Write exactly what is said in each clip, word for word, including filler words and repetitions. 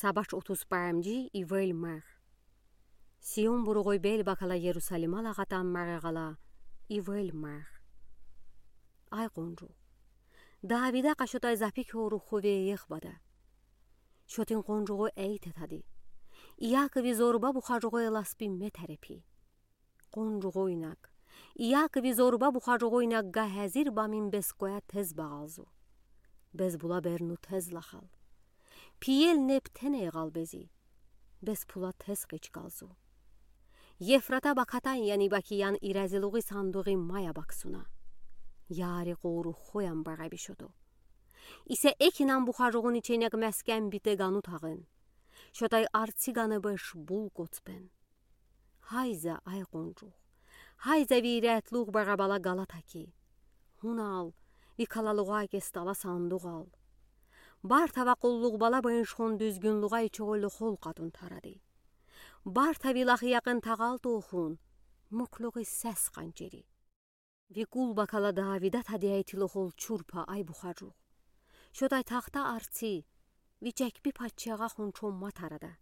Сабач отуз парамжи ивел марх. Сион буругой бел бакала Ерусалима лағатан марғала ивел марх. Ай къонжуғ, Давида къашотай запи кёрух ху веех бада. Шотин къонжуғо эйте тади: Иакови зорба бухажуғо эласпи ме тарепи. Къонжуғо инаг, Иакови зорба бухажуғо инаг га хазир бамин бес коя тез бағалзу. Бес була берну тез лахал. Пиел неб тен эйгал бези. Бес пула тез къичкалзу. Ефрата бакатан яни бакиян иразилуғи сандуғи мая баксуна. Яри къорух хуян бараби шото. Исе экинан бухажуғун иченег мескен бите гану тағын. Шотай арци ганы беш бул коцпен. Хайза, ай къонжуғ. Хайза ви ирятлуғ барабала галата ки. Хунал, ви калалуға кестала сандуғал. Бартава къуллуғ бала быншхон дүзгюнлуға ичоғойлы хол қатун таради. Бартави лахи яқын тағал тоқун, муклуғи сес қанчери. Ви кул бакала Давида тади айтилы хол чурпа ай бухажуғ. Шотай тахта арци, ви чекпи патчаға хун чомма тарада.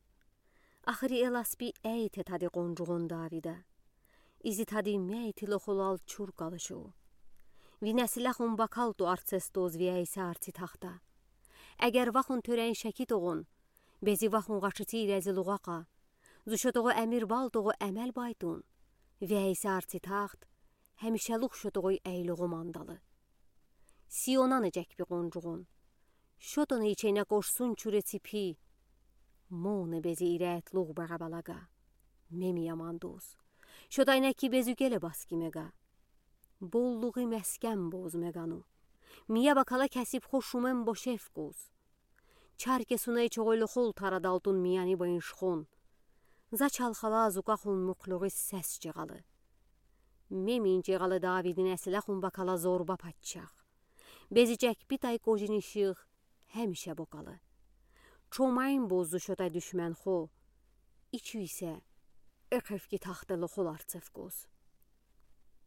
Ахри эласпи эйте тади къонжуғон Давида. Изи тади ме айтилы холал чур калышу. Ви нәсилахун бакал ту арцес тоз ви айса арци тахта. Эгер вахун тӧрен шеки тоғын, бези вахун ғашыти иразилуғақа, зу шотоғо әмир бал тоғо әмәл байтун, ви айса арци тахт, хәмишәлух шотоғой әйлуғо мандалы. Сионаны чекпи къонжуғон. Шотоны ичене кошсун чуре ципи. Моны бези ирятлуғ барабалага. Меми яман дос. Шотайна ки безу келе баски мега. Боллуғи мескен боз мегану. Мия бакала кәсип хо шумен бошев коз. Чарке сунай чоғойлы хол тарадалтун мияни быншхон. За чалхала зука хун муклуғи сес чеғалы. Мемин чеғалы Давидин әсілахун бакала зорба патчах. Бези чекпи тай кожини шиғ хәмише бокалы. Чомайын бозу шотай дүшмен хо. Ичу исе экевки тахтылы хол арцев коз.